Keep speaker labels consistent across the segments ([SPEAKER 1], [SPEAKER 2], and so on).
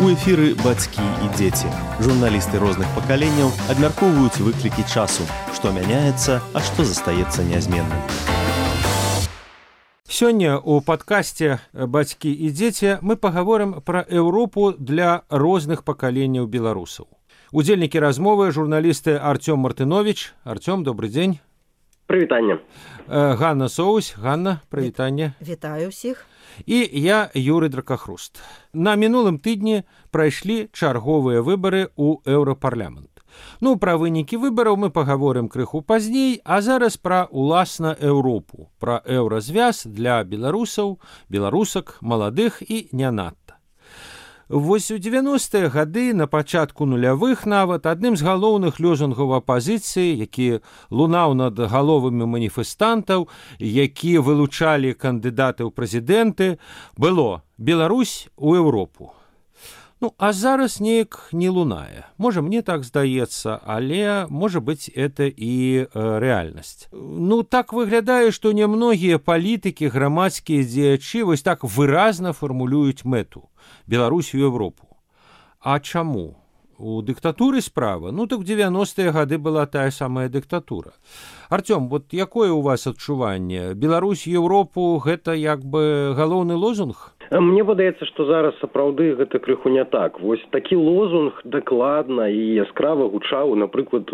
[SPEAKER 1] У эфіры бацькі і дзеці. Журналісты розных пакаленняў абмяркоўваюць выклікі часу, што мяняецца, а што застаецца нязменным.
[SPEAKER 2] Сёння у падкасце «Бацькі і дзеці» мы пагаворым пра Еўропу для розных пакаленняў беларусаў. Удзельнікі размовы журналісты Артём Мартынович. Артём, добрый дзень.
[SPEAKER 3] Прывітанне.
[SPEAKER 2] Ганна Соусь. Ганна, прывітанне.
[SPEAKER 4] Вітаю ўсіх.
[SPEAKER 2] І я, Юрый Дракахруст. На мінулым тыдні прайшлі чарговыя выбары ў Еўрапарламент. Пра вынікі выбараў мы пагаворым крыху пазней, а зараз пра уласна Еўропу, пра еўразвяз для беларусаў, беларусак, маладых і не надта. Вось у 90-е гады, на пачатку нулявых нават, адным з галоўных лозунгаў апазіцыі, які лунаў над галовамі маніфестантаў, які вылучалі кандыдаты ў прэзідэнты, было «Беларусь у Еўропу». А зараз неяк не лунае. Можа, мне так здаецца, але, можа быць, это і рэальнасць. Так выглядае, што немногія палітыкі, грамадскія дзеячы вось так выразна фармулююць мэту – Беларусь у Еўропу. А чаму? У дыктатуры справа? Так в 90-е гады была тая самая дыктатура. Артём, якое у вас адчуванне? Беларусь у Еўропу – гэта як бы галоўны лозунг?
[SPEAKER 3] Мне падаецца, што зараз сапраўды гэта крыху не так. Вось такі лозунг дакладна і яскрава гучаў, напрыклад,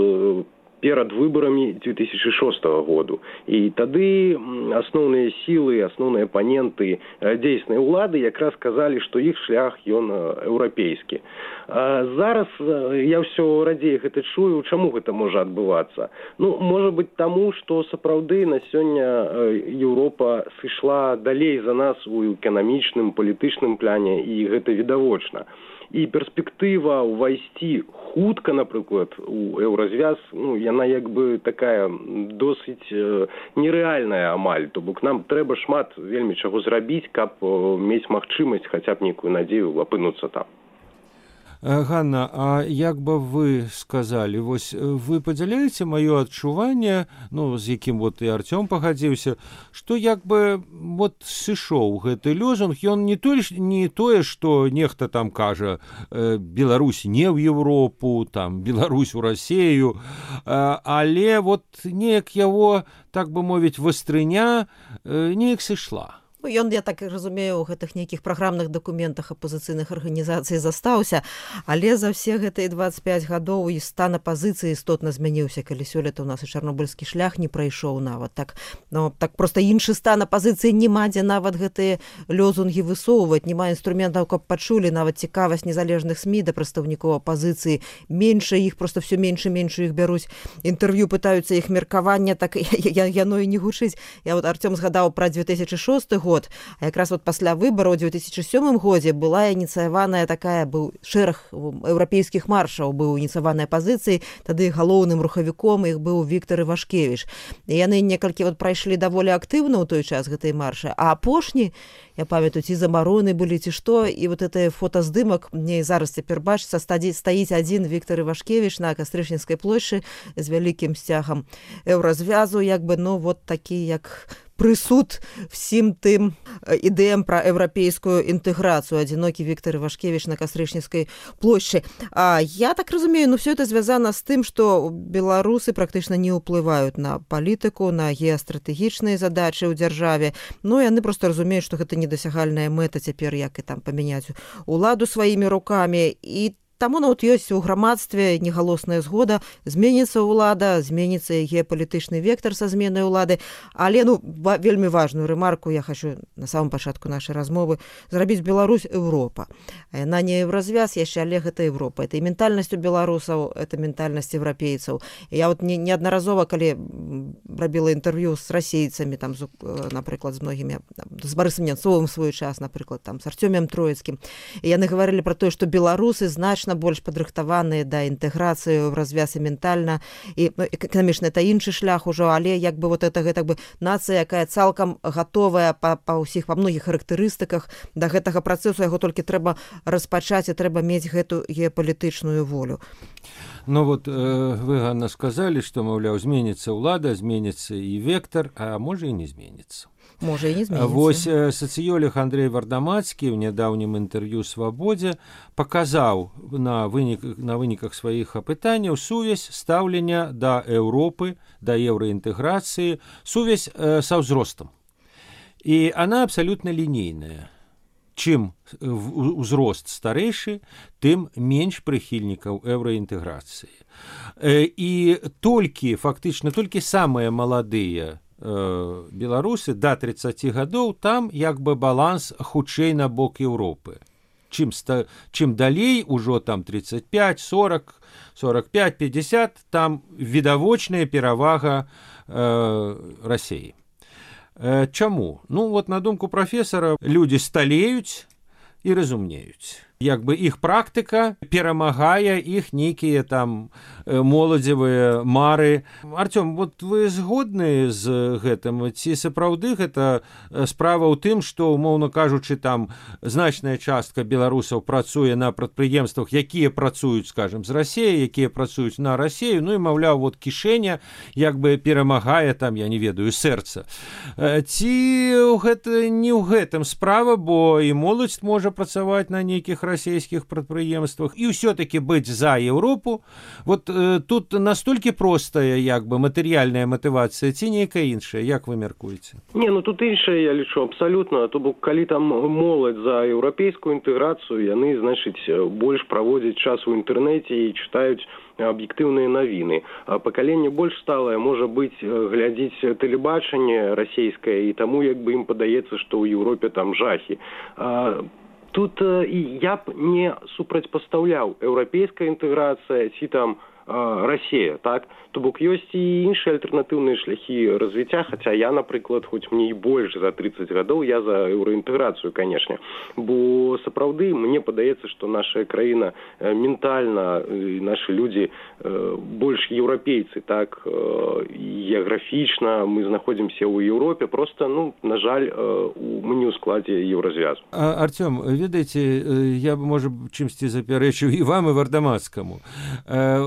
[SPEAKER 3] перад выбарамі 2006 году. І тады асноўныя сілы, асноўныя апаненты дзейснай улады якраз казалі, што іх шлях ён еўрапейскі. Зараз я ўсё радзей гэта чую, чаму гэта можа адбывацца. Можа быць таму, што сапраўды на сёння Еўропа сышла далей за нас у эканамічным, палітычным пляне, і гэта відавочна. І перспектыва ўвайсці хутка, напрыклад, у еўразвяз, яна як бы такая досыць нерэальная амаль. То бок нам трэба шмат вельмі чаго зрабіць, каб мець магчымасць хаця б нейкую надзею апынуцца там.
[SPEAKER 2] Ганна, а як бы вы сказалі, вы падзяляеце маё адчуванне, з якім і Артём пагадзіўся, што як бы сышоў гэты лозунг, ён не тое, што нехта там кажа Беларусь не ў Еўропу, там Беларусь у Расею, але неяк яго, так бы мовіць, вастрыня неяк сышла.
[SPEAKER 4] Ён, я так разумею, у гэтых нейкіх праграмных дакументах апазіцыйных арганізацый застаўся, але за ўсе гэтыя 25 гадоў і стан апазіцыі істотна змяніўся, калі сёлета ў нас і чарнобыльскі шлях не прайшоў нават. Так проста іншы стан апазіцыі няма, дзе нават гэтыя лозунгі высоўваць, няма інструментаў, каб пачулі, нават цікавасць незалежных СМІ да прадстаўнікоў апазіцыі. Менш іх, проста все менш і менш іх бяруць. Інтэрв'ю пытаюцца іх меркавання, так яно і не гучыць. Я Артём згадаў пра 2006 год, а якраз пасля выбараў у 2007 годзе была ініцыяваная быў шэраг еўрапейскіх маршаў, быў ініцыяванай апазіцыяй, тады галоўным рухавіком іх быў Віктор Івашкевіч. І яны некалькі прайшлі даволі актыўна ў той час гэтай маршы, а апошні, я памятаю, ці забароны былі, ці што, і это фотаздымак, мне зараз цяпер бачыцца, стаіць адзін Віктор Івашкевіч на Кастрычніцкай плошчы з вялікім сцягам еўразвязу, такі як прысуд всім тым ідэям пра еўрапейскую інтэграцыю. Адзінокі Віктор Івашкевіч на Кастрычніцкай плошчы. Я так разумею, все это звязана з тым, што беларусы практычна не ўплываюць на палітыку, на геастратэгічныя задачы ў дзяржаве. Яны проста разумеюць, што гэта недасягальная мэта цяпер, як і там памяняць уладу сваімі рукамі. І таму ёсць у грамадстве негалосная згода, зменіцца ўлада, зменіцца геапалітычны вектар са зменай улады. Але вельмі важную рэмарку я хочу на самом пачатку нашай размовы зрабіць: Беларусь Еўропа. Яна не еўразвяз яшчэ, але гэта Еўропа. Это і ментальнасць у беларусаў, это ментальнасць еўрапейцаў. Я неаднаразова, калі рабіла інтэрв'ю з расейцамі, напрыклад, з многімі, з Барысам Нянцовым свой час, напрыклад, з Артёмем Троіцкім, яны гаварылі пра тое, што беларусы значна больш падрыхтаваныя да інтэграцыі ў развяз і ментальна, і эканамічна это іншы шлях ужо, але як бы гэта нацыя, якая цалкам гатовая па многіх характарыстыках да гэтага працэсу, яго толькі трэба распачаць і трэба мець гэту геапалітычную волю.
[SPEAKER 2] Вы, Ганна, сказалі, што, маўляў, зменіцца ўлада, зменіцца і вектар, а можа і не зменіцца.
[SPEAKER 4] Можа і не зменіцца.
[SPEAKER 2] Вось сацыёлог Андрей Вардамацкі ў нядаўнім інтэрв'ю «Свабодзе» паказаў на выніках сваіх апытанняў сувязь стаўлення да Еўропы, да еўраінтэграцыі, сувязь са ўзростам. І она абсалютна лінейная. Чым узрост старэйшы, тым менш прыхільнікаў еўраінтэграцыі. І фактычна толькі самыя маладыя беларусы да 30 гадоў, там як бы баланс хутчэй на бок Еўропы. Чым далей, ужо там 35, 40, 45, 50, там відавочная перавага Расіі. Чаму? Ну, вот на думку прафесара, людзі сталеюць і разумнеюць. Як бы іх практыка перамагае іх нейкія там моладзевыя мары. Артём, вот вы згодны з гэтым? Ці сапраўды гэта справа ў тым, што, умоўна кажучы, там значная частка беларусаў працуе на прадпрыемствах, якія працуюць, скажем, з Расіяй, якія працуюць на Расію, ну і, маўляў, вот кішэня як бы перамагае там, я не ведаю, сэрца. Ці гэта не ў гэтым справа, бо і моладзь можа працаваць на нейкіх расійскіх прадпрыемствах і ўсё-таки быць за Еўропу. Вот тут настолькі простая як бы матэрыяльная матывацыя ці нейкая іншая, як вы мяркуеце?
[SPEAKER 3] Не, ну тут іншая, я лічу, абсалютна. То бок, калі там моладзь за еўрапейскую інтэграцыю, яны, значыць, больш праводзяць час у інтэрнэце і чытаюць аб'ектыўныя навіны. А пакаленне больш сталае, можа быць, глядзіць тэлебачанне расійскае, і таму як бы ім падаецца, што ў Еўропе там жахі. Тут я б не супрацьпастаўляў еўрапейская інтэграцыя ці там Расія, так? То бок ёсць і іншыя альтэрнатыўныя шляхі развіцця, хаця я, напрыклад, хоць мне і больш за 30 гадоў, я за еўраінтэграцыю, канешне. Бо сапраўды мне падаецца, што наша краіна ментальна, нашы людзі больш еўрапейцы, так, геаграфічна мы знаходзімся ў Еўропе, просто, ну, на жаль, мы не ў складзе еўразвязу.
[SPEAKER 2] Артём, ведаеце, я б, можа, чымсьці запярэчыў і вам, і Вардамацкаму.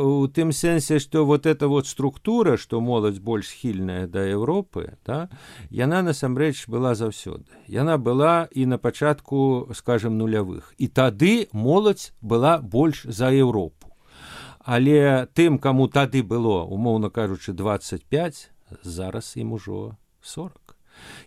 [SPEAKER 2] У тым сэнсе, што вот эта вот структура, што моладзь больш схільная да Еўропы, да, яна насамрэч была заўсёды. Яна была і на пачатку, скажем, нулявых. І тады моладзь была больш за Еўропу. Але тым, каму тады было, умоўна кажучы, 25, зараз ім ужо 40.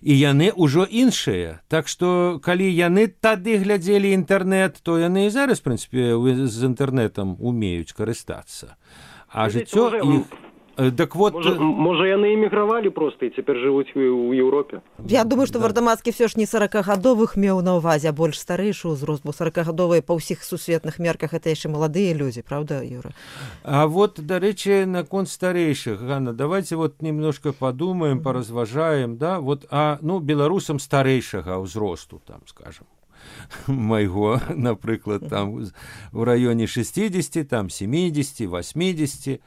[SPEAKER 2] І яны ўжо іншыя. Так што, калі яны тады глядзелі інтэрнэт, то яны і зараз, в прынцыпе, з інтэрнэтам умеюць карыстацца. А жыццё іх... Так вот...
[SPEAKER 3] Можа, яны эмігравалі проста і цяпер жывуць у Еўропе?
[SPEAKER 4] Я думаю, што Вардамацкі ўсё ж не 40-гадовых меў на ўвазе, а больш старэйшы ўзрост, бо 40-гадовыя па ўсіх сусветных мерках это яшчэ маладыя людзі, правда, Юра?
[SPEAKER 2] А вот, дарэчы, наконт старэйшых, Ганна, давайте вот немножко подумаем, поразважаем, да, вот, ну, беларусам старэйшага ўзросту, там, скажем, майго, напрыклад, там, в раёне 60, там, 70, 80.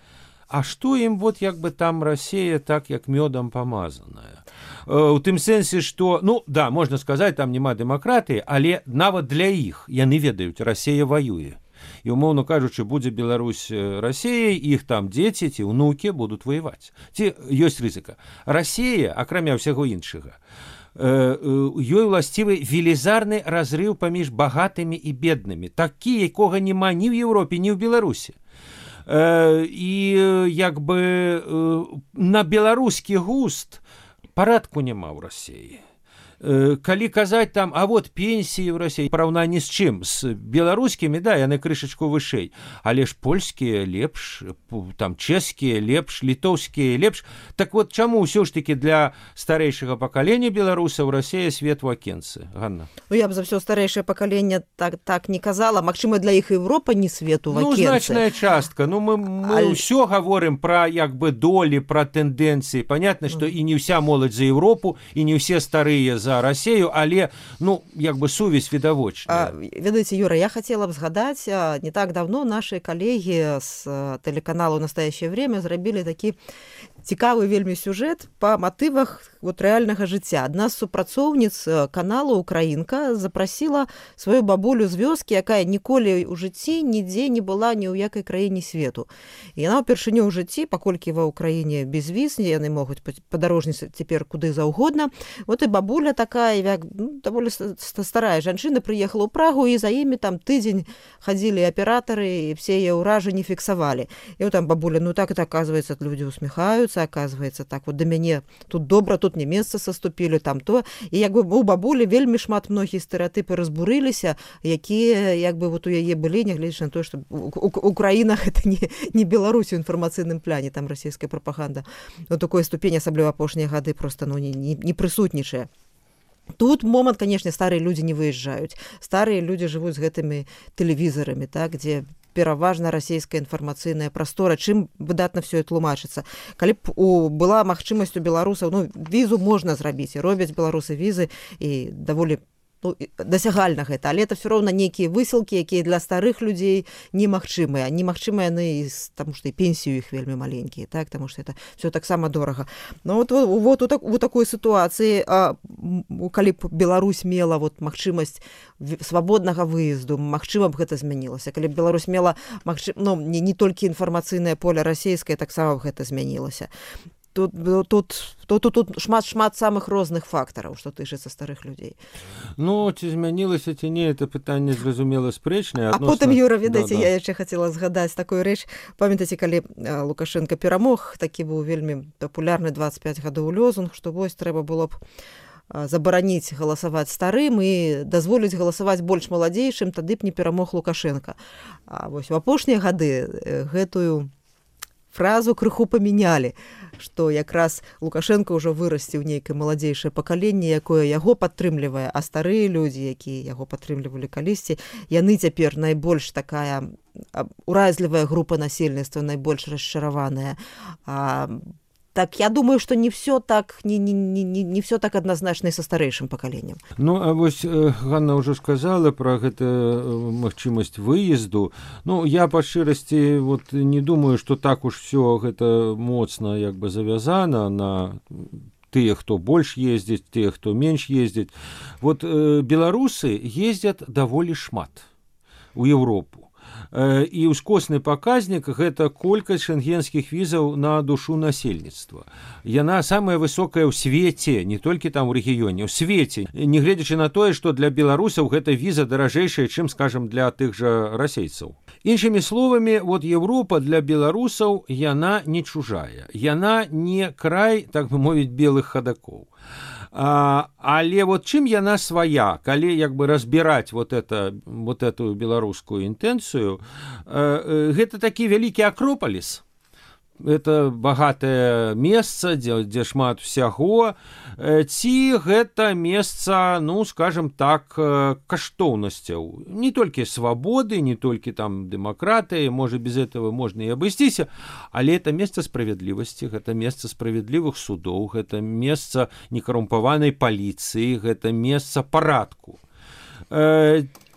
[SPEAKER 2] А што ім вот як бы там Расія так як мёдам памазаная? У тым сэнсе, што, ну, да, можна сказаць, там няма дэмакратыі, але нават для іх яны ведаюць, Расія ваюе. І, умоўна кажучы, будзе Беларусь Расіяй, іх там дзеці ці ўнукі будуць ваяваць. Ці ёсць рызыка. Расія, акрамя ўсяго іншага, ёй уласцівы велізарны разрыў паміж багатымі і беднымі, такі, якога няма ні ў Еўропе, ні ў Беларусі. І як бы на беларускі густ парадку няма ў Расіі. Калі казаць там, а вот пенсіі ў Расіі, параўнанні з чым? З беларускімі, да, яны крышачку вышэй, але ж польскія лепш, там чэшскія лепш, літоўскія лепш. Так вот, чаму ўсё ж такі для старэйшага пакалення беларусаў Расія свет у акенцы, Ганна?
[SPEAKER 4] Ну, я б за ўсё старэйшае пакаленне так не казала. Магчыма, для іх Еўропа не свету в акенцы.
[SPEAKER 2] Ну, значная частка. Ну, мы ўсё гаворым пра, як бы, долі, пра тэндэнцыі. Понятно, што і не ўся моладзь за Еўропу, і не ўсе старыя за за Россию, але, ну, як бы сувязь відавочная.
[SPEAKER 4] Ведаеце, Юра, я хотела бы згадаць, не так давно наши коллеги с телеканалу «Настоящее время» зрабілі такі цікавы вельмі сюжэт па матывах вот рэальнага жыцця. Адна з супрацоўніц каналу «Украінка» запрасіла сваю бабулю з вёскі, якая ніколі ў жыцці нідзе не была ні ў якай краіне свету. І яна ўпершыню ў жыцці, паколькі ва ўкраіне без віз, яны могуць падарожніць цяпер куды заўгодна. Вот і бабуля такая, як, даволі старая жанчына, прыехала ў Прагу, і за імі там тыдзень хадзілі аператары, і все яе ўражанні фіксавалі. І вот там бабуля, ну так, это, оказывается, люди усміхаюцца, оказывается, так вот да мяне тут добра, тут не месца саступілі, там то. І як бы у бабулі вельмі шмат многія стэрэатыпы разбурыліся, якія як бы вот у яе былі, нягледзячы на тое, што у краінах это не Беларусь у інфармацыйным пляне, там расійская прапаганда у такой ступені, асабліва апошнія гады, просто не прысутнічае. Тут момант, конечно, старыя людзі не выязджаюць. Старыя людзі жывуць з гэтымі тэлевізарамі, так, дзе пераважна расійская інфармацыйная прастора, чым выдатна все это тлумачыцца. Калі б была магчымасць у беларусаў, ну, візу можна зрабіць, і робяць беларусы візы, і даволі дасягальна гэта, але это все роўна нейкія высылкі, якія для старых людзей немагчымыя. Немагчымыя яны, таму што і пенсію іх вельмі маленькія, так, таму што это все таксама дорага. Но вот у такой сітуацыі, калі б Беларусь мела вот магчымасць свабоднага выезду, магчыма б гэта змянілася. Калі б Беларусь мела не толькі інфармацыйнае поле расійскае, таксама б гэта змянілася. Тут шмат самых розных фактараў, што тычыцца старых людзей.
[SPEAKER 2] Ну, ці змянілася, ці не, это пытанне, зразумела, спрэчнае.
[SPEAKER 4] А потым, Юра, ведаеце, я яшчэ хацела згадаць такую рэч. Памятаеце, калі Лукашенко перамог, такі быў вельмі папулярны 25 гадоў лозунг, што вось трэба было б забараніць галасаваць старым і дазволіць галасаваць больш маладзейшым, тады б не перамог Лукашенко. А вось у апошнія гады гэтую фразу крыху памянялі, што якраз Лукашенко ўжо вырасціў нейкае маладзейшае пакаленне, якое яго падтрымлівае, а старыя людзі, якія яго падтрымлівалі калісьці, яны цяпер найбольш такая уразлівая група насельніцтва, найбольш расчараваная. Так, я думаю, что не все так однозначно и со старейшим поколением.
[SPEAKER 2] Ну, а вось Ганна уже сказала про гэту магчымасць выезду. Ну, я по шчырасці вот не думаю, что так уж все гэта моцна як бы завязана на тыя, хто больш ездзіць, тыя, хто менш ездзіць. Вот беларусы ездзяць даволі шмат у Европу. І ўскосны паказнік гэта колькасць шэнгенскіх візаў на душу насельніцтва. Яна самая высокая ў свеце, не толькі там у рэгіёне, у свеце, нягледзячы на тое, што для беларусаў гэта віза даражэйшая, чым, скажам, для тых жа расейцаў. Іншымі словамі, вот Европа для беларусаў яна не чужая, яна не край, так бы мовіць, белых хадакоў. Але вот чым яна свая, калі як бы разбіраць вот эту беларускую інтэнцыю, гэта такі вялікі акропаліс. Это багатае месца, дзе шмат усяго, ці гэта месца, ну, скажем так, каштоўнасцяў. Не толькі свабоды, не толькі там дэмакратыі, можа, без этого можна і абысціся, але это месца справядлівасці, гэта месца справядлівых судоў, гэта месца некарумпаванай паліцыі, гэта месца парадку.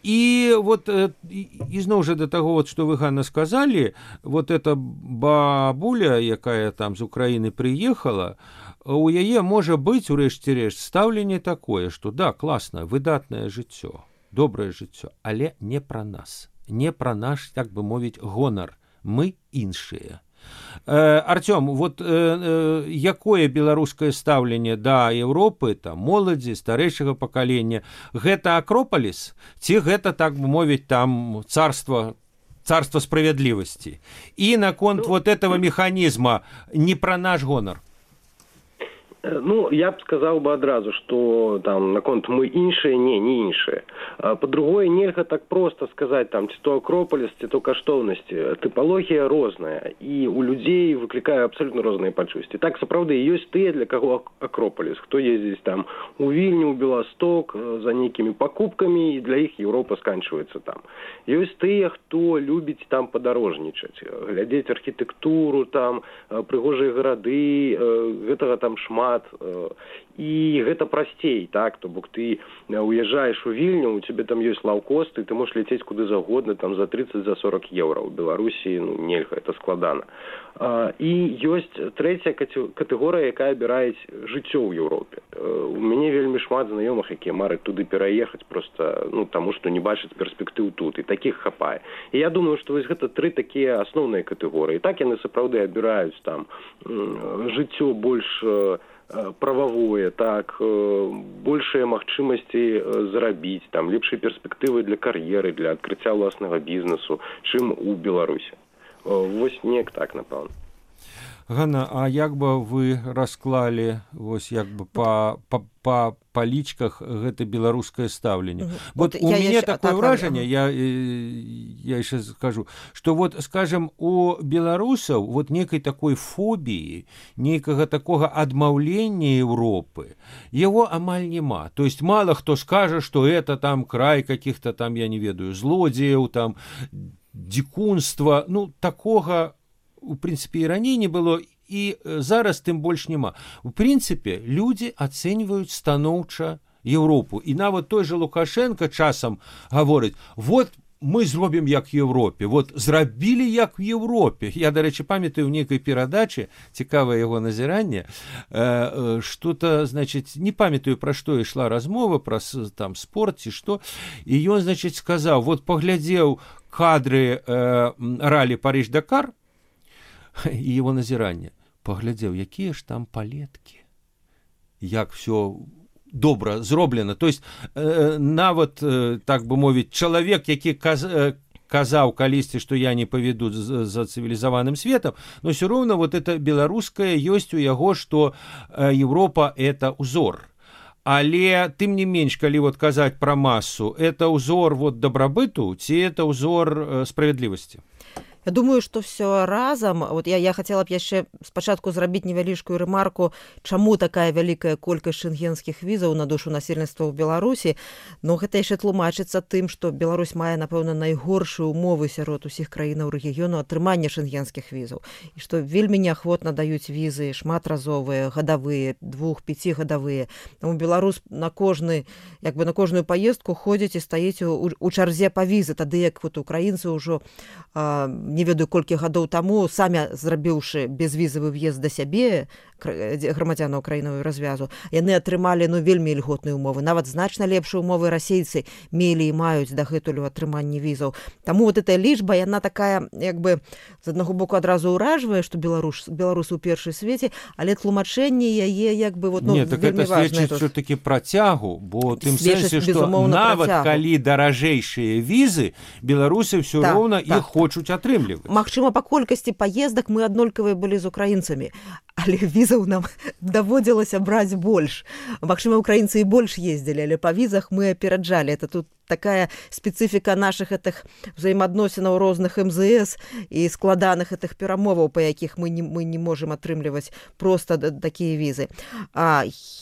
[SPEAKER 2] І вот ізноў жа да таго, вот, што вы, Ганна, сказалі, вот эта бабуля, якая там з Украіны прыехала, у яе можа быць, урэшце рэшт, стаўленне такое, што да, класна, выдатнае жыццё, добрае жыццё, але не пра нас, не пра наш, так бы мовіць, гонар. Мы іншыя. Артём, вот якое беларускае стаўленне да Европы, там, моладзі, старэйшага пакалення, гэта акропаліс, ці гэта, так бы мовіць, там царство справядлівасці? І наконт вот этого механізма не пра наш гонар.
[SPEAKER 3] Ну, я б сказаў бы адразу, што там наконт мы іншыя, не іншыя. Па-другое, нельга так проста сказаць, там, ці то акропаліс, ці то каштоўнасці. Тыпалогія розная, і у людзей выклікае абсалютна розныя пачуцці. Так, сапраўды, ёсць тыя, для каго акропаліс, хто ездзіць там у Вільню, у Беласток за нейкімі пакупкамі, і для іх Еўропа сканчваецца там. Ёсць тыя, хто любіць там падарожнічаць, глядзець архітэктуру, там, прыгожыя гарады, гэтага там шмат. і гэта прасцей, так, то бок ты уязджаеш у Вільню, у цябе там ёсць лаўкост, і ты можаш ляцець куды загодна, там за 30, за 40 еўра. У Беларусі, нельга, это складана. І ёсць трэцяя катэгорыя, якая абірае жыццё ў Еўропе. У мяне вельмі шмат знаёмых, якія мараць туды пераехаць просто, таму што не бачаць перспектыў тут, і такіх хапае. І я думаю, што вось гэта тры такія асноўныя катэгорыі. Так яны сапраўды абіраюць там жыццё больш прававое, так, большыя магчымасці зарабіць, там, лепшыя перспектывы для кар'еры, для адкрыцця ўласнага бізнесу, чым у Беларусі. Вось неяк так, напэўна.
[SPEAKER 2] Ганна, а як бы вы расклалі вось як бы па палічках гэта беларускае стаўленне? Вот у мяне такое ўражанне, я яшчэ скажу, што вот, скажем, у беларусаў вот некай такой фобіі, нейкага такога адмаўлення Еўропы, яго амаль няма. То есть мало хто скажа, што это там край каких-то там, я не ведаю, злодзеяў, там, дзікунства, такога у прынцыпе і раней не было, і зараз тым больш няма. У прынцыпе, людзі ацэньваюць станоўча Еўропу. І нават той же Лукашенко часам гаворыць: вот мы зробім як Еўропе, вот зрабілі як в Еўропе. Я, дарэчы, памятаю ў нейкай перадачы, цікавае яго назіранне, што-то, значыць, не памятаю, пра што ішла размова, пра там спорт ці што, і ён, значыць, сказаў, вот паглядзеў кадры ралі Париж-Дакар, і его назіранне, паглядзеў, якія ж там палеткі, як все добра зроблена. То есть нават, так бы мовіць, чалавек, які казаў калісьці, што я не паведу за цывілізаваным светам, но все роўна вот это беларускае ёсць у яго, што Еўропа это узор. Але тым не менш, калі вот казаць пра масу, это узор вот дабрабыту ці это узор справядлівасці?
[SPEAKER 4] Я думаю, што все разам, вот я хацела б яшчэ спачатку зрабіць невялічкую рэмарку, чаму такая вялікая колькасць шэнгенскіх візаў на душу насельніцтва ў Беларусі. Но гэта яшчэ тлумачыцца тым, што Беларусь мае, напэўна, найгоршыя умовы сярод усіх краінаў рэгіёну атрымання шэнгенскіх візаў. І што вельмі неахвотна даюць візы шматразовыя, гадавыя, 2-5гадавыя. Таму беларус на кожную паездку ходзіць і стаіць у чарзе па візы, тады як вот украінцы ўжо не ведаю колькі гадоў таму, самі зрабіўшы безвізавы в'езд да сябе грамадзянаў краінавую развязу, яны атрымалі вельмі ільготныя умовы. Нават значна лепшыя умовы расейцы мелі і маюць дагэтуль у атрыманні візаў. Таму вот эта лічба, яна такая, як бы, з аднаго боку адразу ўражвае, што беларусы ў першай свеце, але тлумачэнне яе, як бы, вот,
[SPEAKER 2] не, так
[SPEAKER 4] вельмі важна.
[SPEAKER 2] Нет, так это сведчыць ўсё-таки працягу, бо тым сэнсе, што нават калі даражэйшыя візы, беларусы ўсё роўна іх хочуць атрымліваць.
[SPEAKER 4] Магчыма, па колькасці паездак мы аднолькавыя былі з украінцамі, але візаў нам даводзілася браць больш. Магчыма, украінцы і больш ездзілі, але па візах мы апераджалі. Это тут такая спецыфіка нашых этих взаимоадносінаў розных МЗС і складаных этих перамоваў, па якіх мы не можам атрымліваць просто такія візы.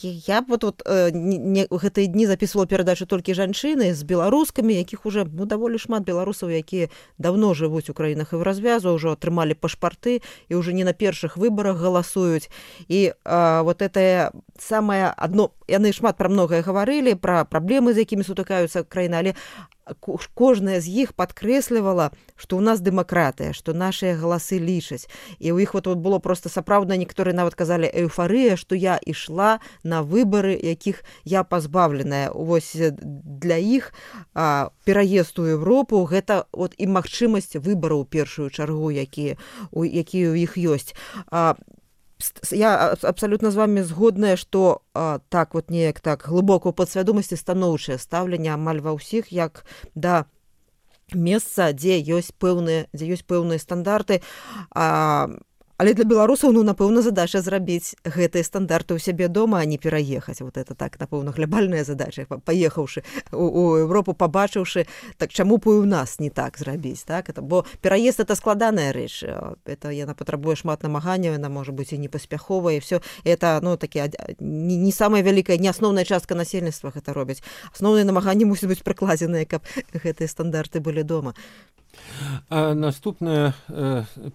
[SPEAKER 4] Я вот гэтыя дні записывала перадачу толькі жанчыны з беларускамі, якіх уже даволі шмат беларусаў, якія давно жывуць у краінах і ў развязу, ўжо атрымалі пашпарты і уже не на першых выбарах галасуюць. І вот это самае адно, яны шмат пра многае гаварылі, пра праблемы, з якімі сутыкаюцца краіны, але кожная з іх падкрэслівала, што ў нас дэмакратыя, што нашыя галасы лічаць. І ў іх вот было просто сапраўдна, некаторыя нават казалі эйфарыя, што я ішла на выбары, якіх я пазбаўленая. Вось для іх пераезд у Еўропу гэта вот і магчымасць выбараў у першую чаргу, якія ў іх ёсць. Я абсолютно з вами згодная, што так вот неяк так глыбока ў падсвядомасці станоўчае стаўленне амаль ва ўсіх як да месца, дзе ёсць пэўныя стандарты. Але для беларусаў, напэўна, задача зрабіць гэтыя стандарты ў сябе дома, а не пераехаць. Вот это так, напэўна, глобальная задача. Паехаўшы у Еўропу, пабачыўшы, так чаму б і у нас не так зрабіць, так? Бо пераезд это складаная рэч. Это яна патрабуе шмат намаганняў, яна можа быць і непаспяховая, і все. Это, такі не самая вялікая, не асноўная частка насельніцтва гэта робяць. Асноўныя намаганні мусяць быць прыкладзеныя, каб гэтыя стандарты былі дома.
[SPEAKER 2] Наступнае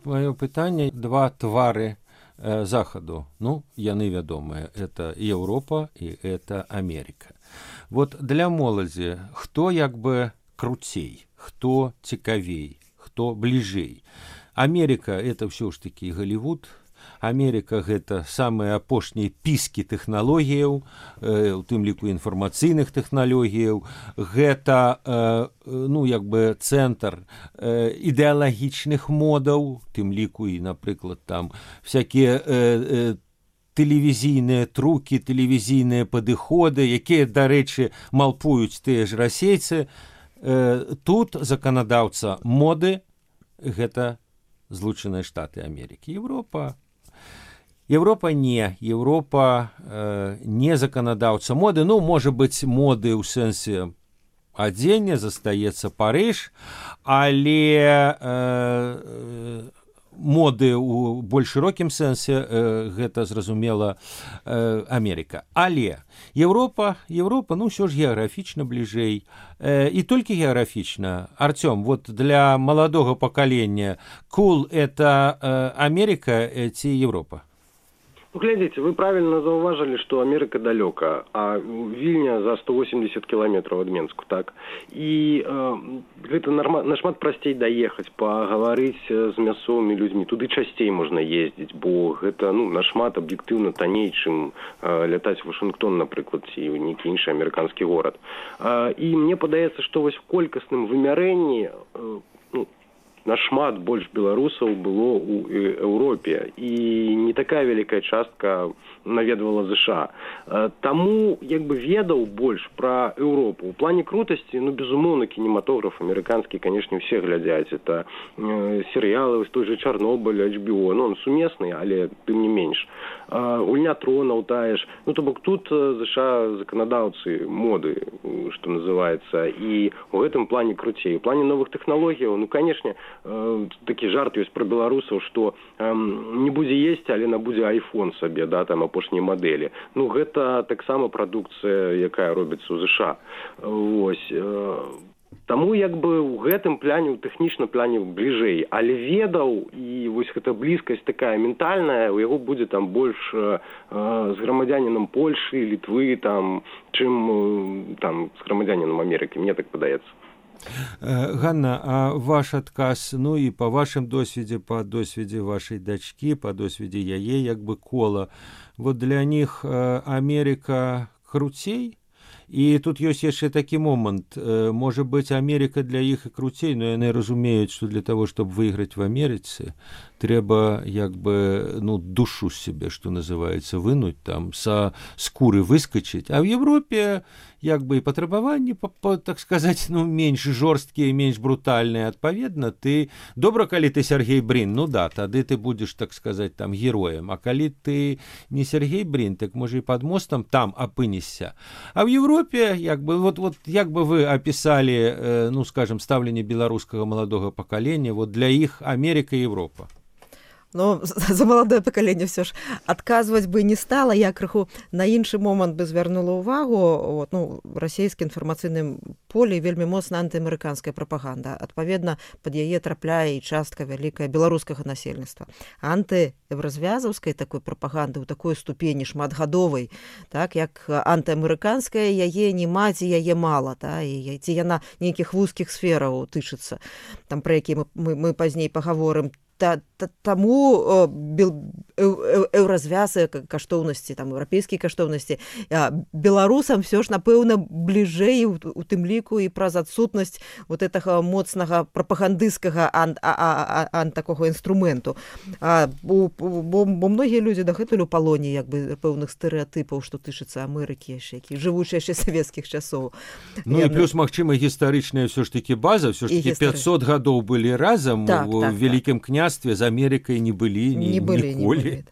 [SPEAKER 2] маё пытанне, два твары захаду, ну, яны вядомыя, это Еўропа і это Америка. Вот для моладзі хто як бы круцей, хто цікавей, хто бліжэй. Америка это ўсё ж такі Голливуд. Америка гэта самыя апошнія піскі тэхналогіяў, у тым ліку інфармацыйных тэхналогіяў, гэта ну як бы цэнтр ідэалагічных модаў, тым ліку і, напрыклад, там всякія тэлевізійныя трукі, тэлевізійныя падыходы, якія, дарэчы, малпуюць тыя ж расейцы. Тут заканадаўца моды гэта Злучаныя Штаты Америки. Европа не. Европа не заканадаўца моды. Ну, можа быць, моды ў сэнсе адзення, застаецца Парыж, але моды ў больш шырокім сэнсе гэта, зразумела, Америка. Але Европа, ну, ўсё ж геаграфічна бліжэй. І толькі геаграфічна. Артём, вот для маладога пакалення cool это Америка ці Европа?
[SPEAKER 3] Ну, глядзіце, вы правильно заўважылі, што Америка далёка, а Вільня за 180 кіламетраў ад Менску, так? І гэта нашмат прасцей даехаць, пагаварыць з мясцовымі людзьмі. Туды часцей можна ездзіць, бо гэта, ну, нашмат аб'ектыўна танней, чым лятаць у Вашынгтон, напрыклад, ці ў нейкі іншы амерыканскі горад. І мне падаецца, што вось в колькасным вымярэнні нашмат больш беларусаў было ў Еўропе, і не такая вялікая частка наведвала ЗША. Таму, як бы, ведаў больш пра Еўропу. У плане крутасці, ну, безумоўна, кінематограф амерыканскі, канешне, усе глядзяць. Это серыялы, той же Чарнобыль, HBO, ну, он сумесны, але тым не менш. Гульня тронаў тая ж. Ну, то бок, тут ЗША заканадаўцы моды, што называецца, і ў гэтым плане круцей. У плане новых тэхналогіяў, ну, канешне, такі жарт ёсць пра беларусаў, што не будзе есці, але набудзе iPhone сабе, да, там апошнія мадэлі. Ну, гэта таксама прадукцыя, якая робіцца ў ЗША. Вось. Таму, як бы, у гэтым пляне, у тэхнічным пляне бліжэй. Але ведаў, і вось гэта блізкасць такая ментальная, у яго будзе там больш з грамадзянінам Польшы, Літвы, там, чым там з грамадзянінам Амерыкі, мне так падаецца.
[SPEAKER 2] Ганна, а ваш адказ, ну і па вашым досведзе, па досведзе вашай дачкі, па досведзе яе, як бы, кола, вот для них Америка круцей? І тут ёсць яшчэ такі момант. Можа быць, Америка для іх і круцей, но яны разумеюць, што для того, чтобы выйграць в Амерыцы, трэба, як бы, ну, душу з сябе, што называецца, вынуць, там, са скуры выскачыць. А в Европе, як бы, і патрабаванні, так сказаць, ну, менш жорсткія, менш брутальныя. Адпаведна, ты... Добра, калі ты Сергей Брин, ну да, тады ты будзеш, так сказаць, там, героем. А калі ты не Сергей Брин, так, можа, і пад мостам там апынешся. А в Европе, як бы, вот як бы вы описали, ну, скажем, ставленне беларускага маладога пакалення, вот для іх Америка и Европа?
[SPEAKER 4] Ну, за маладое пакаленне ўсё ж адказваць бы не стала. Я крыху на іншы момант бы звярнула ўвагу. Вот, ну, расійскі інфармацыйным поле вельмі моцна антыамерыканская прапаганда. Адпаведна, пад яе трапляе і частка вялікая беларускага насельніцтва. Антыеўразвязаўскай такой прапаганды ў такой ступені шматгадовай, так, як антыамерыканская, яе не маці, яе мала, та, і ці яна нейкіх вузкіх сфераў тычыцца, там, пра якія мы пазней пагаворым. Таму еўразвязы каштоўнасці, там, еўрапейскія каштоўнасці беларусам все ж, напэўна, бліжэй у тым ліку і праз адсутнасць вот гэтага моцнага прапагандысцкага такога інструменту. Бо многія людзі дагэтуль у палоне, як бы, пэўных стэрэатыпаў, што тычыцца Амерыкі яшчэ, які жывучыя яшчэ савецкіх часоў.
[SPEAKER 2] Ну і плюс, магчыма, гістарычная ўсё ж такі база, ўсё ж такі 500 гадоў былі разам у вялікім княстве, з Амерыкай не былі ніколі.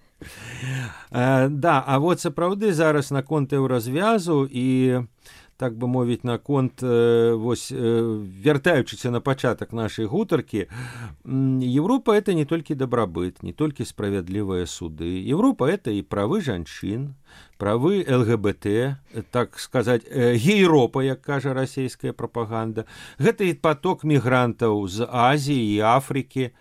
[SPEAKER 2] Да, а вот сапраўды зараз наконт еўразвязу і, так бы мовіць, наконт, вось, вяртаючыся на пачатак нашай гутаркі, Европа — это не толькі дабрабыт, не толькі справядлівыя суды. Европа — это і правы жанчын, правы ЛГБТ, так сказаць, гейропа, як кажа расійская прапаганда. Гэта і поток мігрантаў з Азіі і Афрыкі.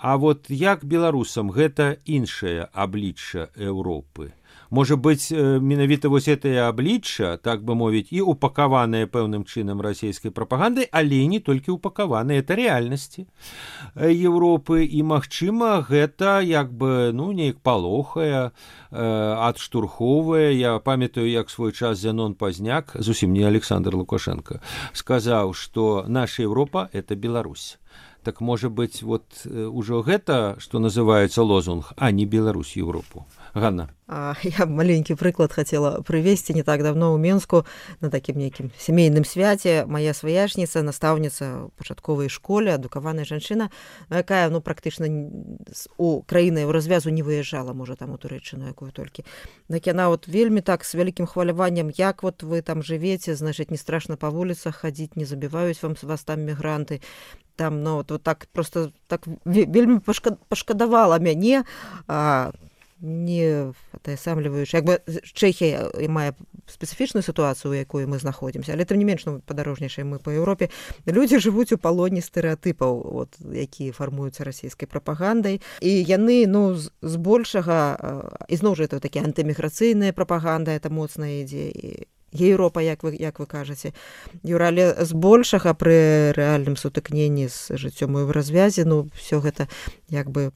[SPEAKER 2] А вот як беларусам гэта іншае аблічча Еўропы? Можа быць, менавіта вось гэтае аблічча, так бы мовіць, і упакаванае пэўным чынам расійскай прапагандай, але і не толькі упакаванае, это рэальнасці Еўропы, і, магчыма, гэта як бы, ну, неяк палохае, адштурхоўвае. Я памятаю, як свой час Зянон Пазняк, зусім не Александр Лукашенко, сказаў, што наша Еўропа – это Беларусь. Так, можа быць, вот ужо гэта, што называецца лозунг, а не Беларусь Еўропу. Ганна.
[SPEAKER 4] Я маленькі прыклад хацела прывесці. Не так давно ў Менску на такім нейкім сямейным свяце мая сваяшніца, настаўніца пачатковай школе, адукаваная жанчына, якая, ну, практычна у краіны развязу не выязджала, можа, там у Турэччыну якую толькі. Так яна вот вельмі так з вялікім хваляваннем, як вот вы там жывеце, значыць, не страшна па вуліцах хадзіць, не забіваюць вас там мігранты. Там, ну, вот так просто так вельмі пашкадавала мяне, не атаясамліваючы. Як бы Чэхія мае спецыфічную сітуацыю, у якой мы знаходзімся, але тым не менш, ну, падарожнічаем мы па Еўропе. Людзі жывуць у палоне стэрэатыпаў, вот, якія фармуюцца расійскай прапагандай, і яны, ну, збольшага, і зноў жа это такія антыміграцыйная прапаганда, это моцная ідзе, і Еўропа, як вы кажаце, Юра, але збольшага пры рэальным сутыкненні з жыццём у развязе, ну, все гэта як бы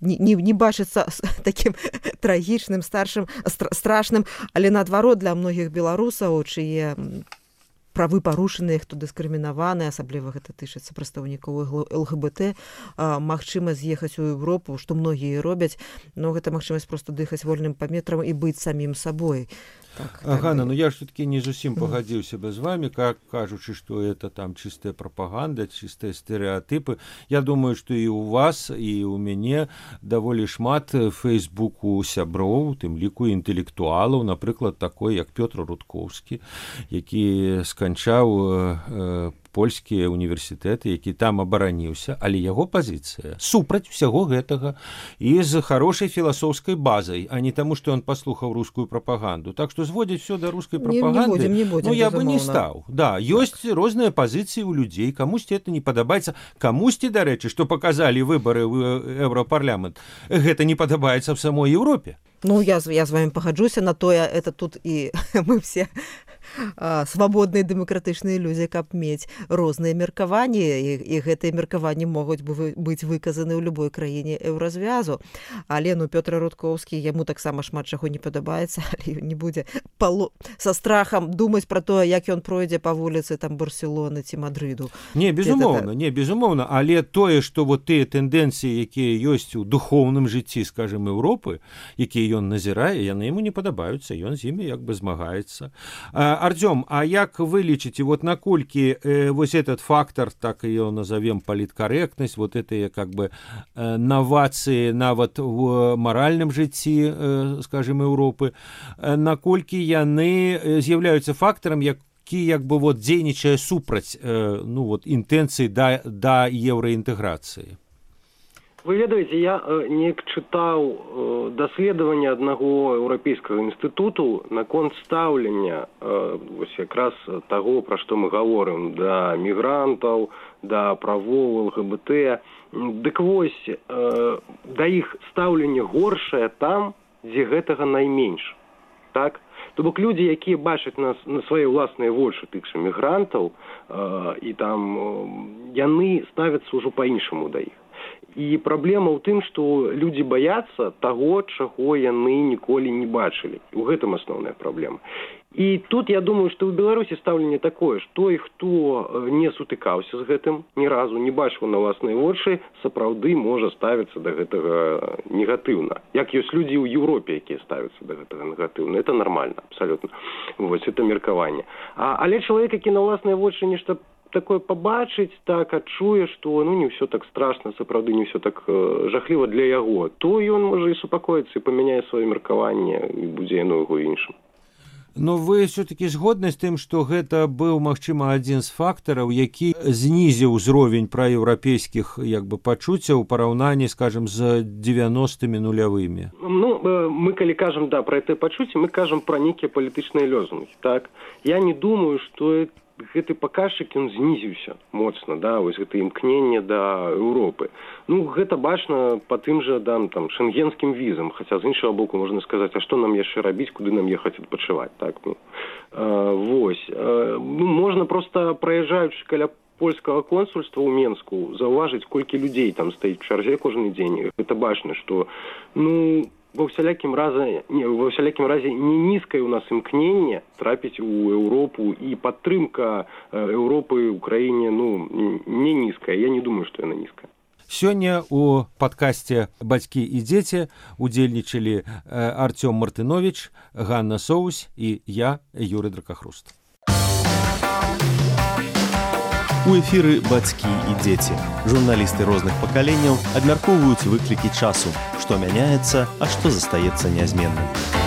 [SPEAKER 4] не бачыцца такім трагічным, старшым, страшным, але наадварот для многіх беларусаў, чые правы парушаныя, хто дыскрымінаваны, асабліва гэта тычыцца прадстаўнікоў ЛГБТ, магчыма з'ехаць у Еўропу, што многія робяць, но гэта магчымасць проста дыхаць вольным паветрам і быць самім сабой. Так,
[SPEAKER 2] Ганна, ну я ж все-таки не зусім пагадзіўся бы з вами, как кажучы, что это там чистая пропаганда, чистые стереотипы. Я думаю, что и у вас, и у мяне даволі шмат Фейсбуку сяброў, тым ліку інтэлектуалаў, напрыклад, такой, як Пётр Рудкоўскі, які сканчаў польскія універсітэты, які там абараніўся, але яго пазіцыя супраць усяго гэтага і з хорошай філасофскай базай, а не таму, што ён паслухаў рускую прапаганду. Так што зводзіць все да рускай прапаганды,
[SPEAKER 4] не будем,
[SPEAKER 2] ну, я бы не стаў. Да, ёсць розныя пазіцыі ў людзей, камусьці это не падабаецца, камусьці, дарэчы, што паказалі выбары ў Еўрапарламент, гэта не падабаецца в самой Еўропе.
[SPEAKER 4] Ну, я з вами пагаджуся на тое, это тут і мы все свабодныя дэмакратычныя людзі, каб мець розныя меркаванні, і гэтыя меркаванні могуць быць выказаны ў любой краіне еўразвязу. Але, ну, Пётр Рудкоўскі, яму таксама шмат чаго не падабаецца, але не будзе са страхам думаць пра тое, як ён пройдзе па вуліцы там Барселоны ці Мадрыду.
[SPEAKER 2] Не, безумоўна, але тое, што вот тыя тэндэнцыі, якія ёсць у духоўным жыцці, скажем, Еўропы, якія ён назірае, яны яму не падабаюцца, ён з імі як бы змагаецца. Артём, а як вы лічыце, вот наколькі вось этот фактор, так её назовем паліткарэктнасць, вот это как бы новацыі нават в маральным жыцці, скажем, Еўропы, наколькі яны з'яўляюцца фактарам, які як бы вот дзейнічае супраць, ну, вот інтэнцыі да еўраінтэграцыі?
[SPEAKER 3] Вы ведаеце, я неяк чытаў даследаванне аднаго еўрапейскага інстытуту наконт стаўлення вось якраз таго, пра што мы гаворым, да мігрантаў, да правоў ЛГБТ. Дык вось, да іх стаўлення горшае там, дзе гэтага найменш. Так? То бок людзі, якія бачаць нас на свае ўласныя вочы тых жа мігрантаў, і там яны ставяцца ўжо па-іншаму да іх. І праблема ў тым, што людзі баяцца таго, чаго яны ніколі не бачылі. У гэтым асноўная праблема. І тут, я думаю, што ў Беларусі стаўленне такое, што той, хто не сутыкаўся з гэтым ні разу, не бачыў на ўласныя вочы, сапраўды можа ставіцца да гэтага негатыўна. Як ёсць людзі ў Еўропе, якія ставяцца да гэтага негатыўна. Это нормально, абсалютна. Вось, это меркаванне. Але чалавек, які на ўласныя вочы нешта такое пабачыць, так адчуе, што ну не ўсё так страшна, сапраўды не ўсё так жахліва для яго, то ён можа і супакоіцца і памяняе сваё меркаванне і будзе яно яго іншым.
[SPEAKER 2] Но вы все-таки згодны з тым, што гэта быў, магчыма, адзін з фактараў, які знізіў узровень праеўрапейскіх як бы пачуццяў у параўнанні, скажем, з 90-мі нулявымі?
[SPEAKER 3] Ну, мы калі кажам, да, пра гэтыя пачуцці, мы кажам пра нейкія палітычныя лозунгі, так? Я не думаю, што гэты паказчык ён знізіўся моцна, да, вось гэта імкненне да Еўропы. Ну, гэта бачна па тым жа там шенгенскім візам, хаця з іншага боку можна сказаць, а што нам яшчэ рабіць, куды нам ехаць адпачываць, так, ну. Вось. Ну, можна проста праязджаючы каля польскага консульства ў Менску заўважыць, колькі людзей там стаіць у чарзе кожны дзень. Гэта бачна, што, ну, ва ўсялякім разе не нізкае ў нас імкненне трапіць у Еўропу, і падтрымка Еўропы ў краіне, ну, не нізкая. Я не думаю, што яна нізкая.
[SPEAKER 2] Сёння у падкасце «Бацькі і дзеці» удзельнічалі Артём Мартынович, Ганна Соусь і я, Юрый Дракахруст.
[SPEAKER 1] У эфіры «Бацькі і дзеці». Журналісты розных пакаленняў абмяркоўваюць выклікі часу, што мяняецца, а што застаецца нязменным.